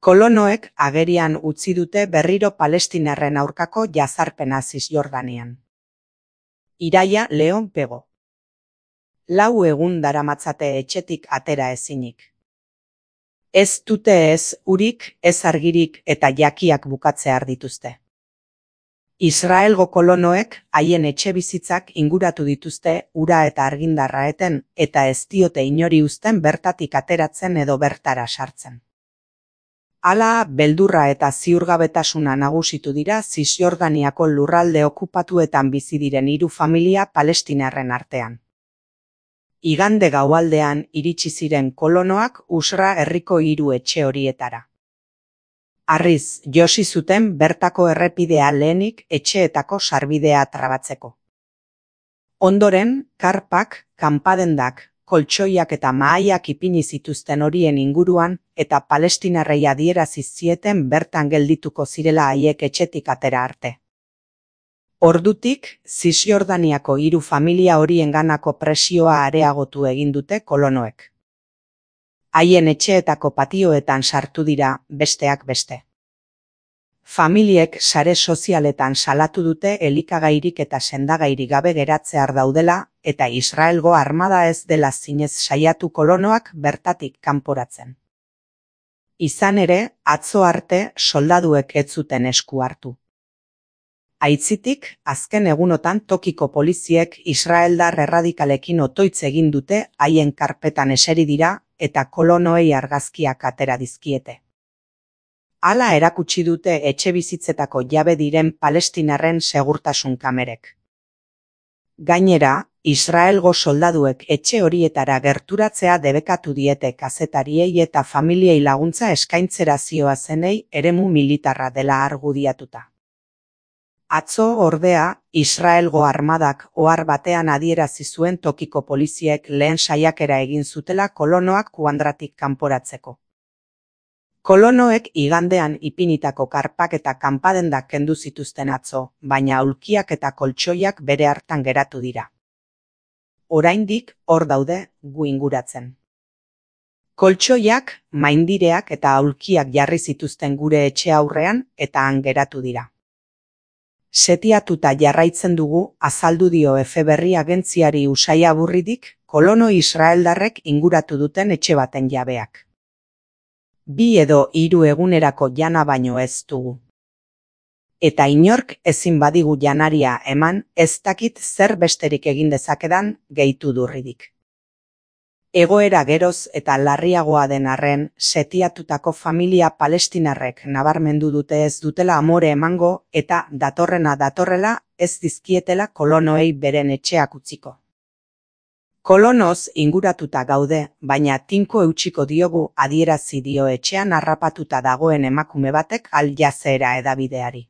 Kolonoek agerian utzi dute berriro palestinarren aurkako jazarpena Zisjordanian. Iraia Leon Pego. 4 egun daramatzate etxetik atera ezinik. Ez dute ez urik, ez argirik eta jakiak bukatzear dituzte. Israelgo kolonoek haien etxebizitzak inguratu dituzte ura eta argindarra eten eta ez diote inori uzten bertatik ateratzen edo bertara sartzen. Hala, beldurra eta ziurgabetasuna nagusitu dira Zisjordaniako lurralde okupatuetan bizi diren 3 familia palestinarren artean. Igande gaualdean iritsi ziren kolonoak Usra herriko 3 etxe horietara. Harriz, josi zuten bertako errepidea lehenik etxeetako sarbidea trabatzeko. Ondoren, karpak, kanpadendak, koltsoiak eta mahaiak ipini zituzten horien inguruan eta palestinarrei adierazi zieten bertan geldituko zirela haiek etxetik atera arte. Ordutik, Zisjordaniako 3 familia horienganako presioa areagotu egin dute kolonoek. Haien etxeetako patioetan sartu dira, besteak beste. Familiek sare sozialetan salatu dute elikagairik eta sendagairik gabe geratzear daudela eta Israelgo armada ez dela zinez saiatu kolonoak bertatik kanporatzen. Izan ere, atzo arte soldaduek ez zuten esku hartu. Aitzitik, azken egunotan tokiko poliziek israeldar erradikalekin otoitz egin dute haien karpetan eseri dira eta kolonoei argazkiak atera dizkiete. Hala erakutsi dute etxebizitzetako jabe diren palestinarren segurtasun kamerek. Gainera, Israelgo soldaduek etxe horietara gerturatzea debekatu diete kazetariei eta familiei laguntza eskaintzera zihoazenei eremu militarra dela argudiatuta. Atzo ordea, Israelgo armadak ohar batean adierazi zuen tokiko poliziek lehen saiakera egin zutela kolonoak kuandratik kanporatzeko. Kolonoek igandean ipinitako karpak eta kanpadendak kendu zituzten atzo, baina aulkiak eta koltsoiak bere hartan geratu dira. Oraindik hor daude gu inguratzen. Koltsoiak, maindireak eta aulkiak jarri zituzten gure etxe aurrean eta han geratu dira. Setiatuta jarraitzen dugu, azaldu dio Efeberri agentziari Usaia Burridik, kolono israeldarrek inguratu duten etxe baten jabeak. 2 edo 3 egunerako jana baino ez dugu. Eta inork ezin badigu janaria eman, ez dakit zer besterik egin dezakedan, gehitu Durridik. Egoera geroz eta larriagoa den arren, setiatutako familia palestinarrek nabarmendu dute ez dutela amore emango eta datorrena datorrela ez dizkietela kolonoei beren etxeak utziko. Kolonoz inguratuta gaude, baina tinko eutxiko diogu adierazi dio etxean harrapatuta dagoen emakume batek Al Jazeera hedabideari.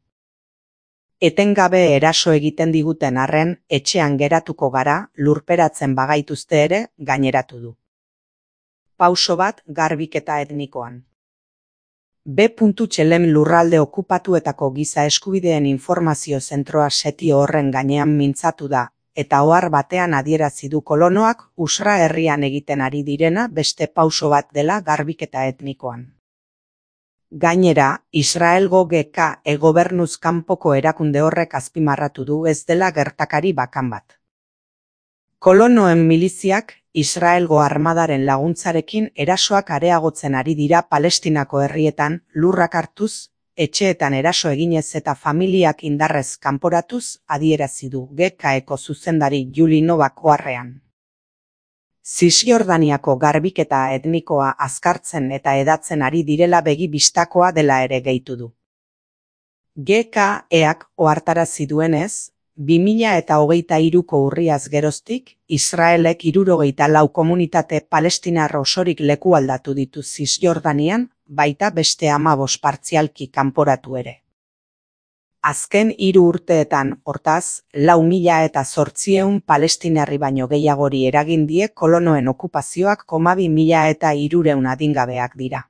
Etengabe eraso egiten diguten arren, etxean geratuko gara, lurperatzen bagaituzte ere, gaineratu du. Pauso bat garbiketa etnikoan. B.Txelem lurralde okupatuetako giza eskubideen informazio zentroa setio horren gainean mintzatu da, eta ohar batean adierazi du kolonoak Usra herrian egiten ari direna beste pauso bat dela garbiketa etnikoan. Gainera, Israelgo GK gobernuz kanpoko erakunde horrek azpimarratu du ez dela gertakari bakan bat. Kolonoen miliziak Israelgo armadaren laguntzarekin erasoak areagotzen ari dira Palestinako herrietan lurrak hartuz, etxeetan eraso eginez eta familiak indarrez kanporatuz adierazi du GKeko zuzendari Juli Novak oharrean. Zisjordaniako garbiketa etnikoa azkartzen eta hedatzen ari direla begi bistakoa dela ere gehitu du. GK-ek ohartarazi duenez, 2023ko urriaz geroztik, Israelek 74 komunitate palestinar osorik lekualdatu ditu Zisjordanian, baita beste 15 partzialki kanporatu ere. Azken 3 urteetan, hortaz, 4.800 palestinarri baino gehiagori eragin die kolonoen okupazioak 2.300 adingabeak dira.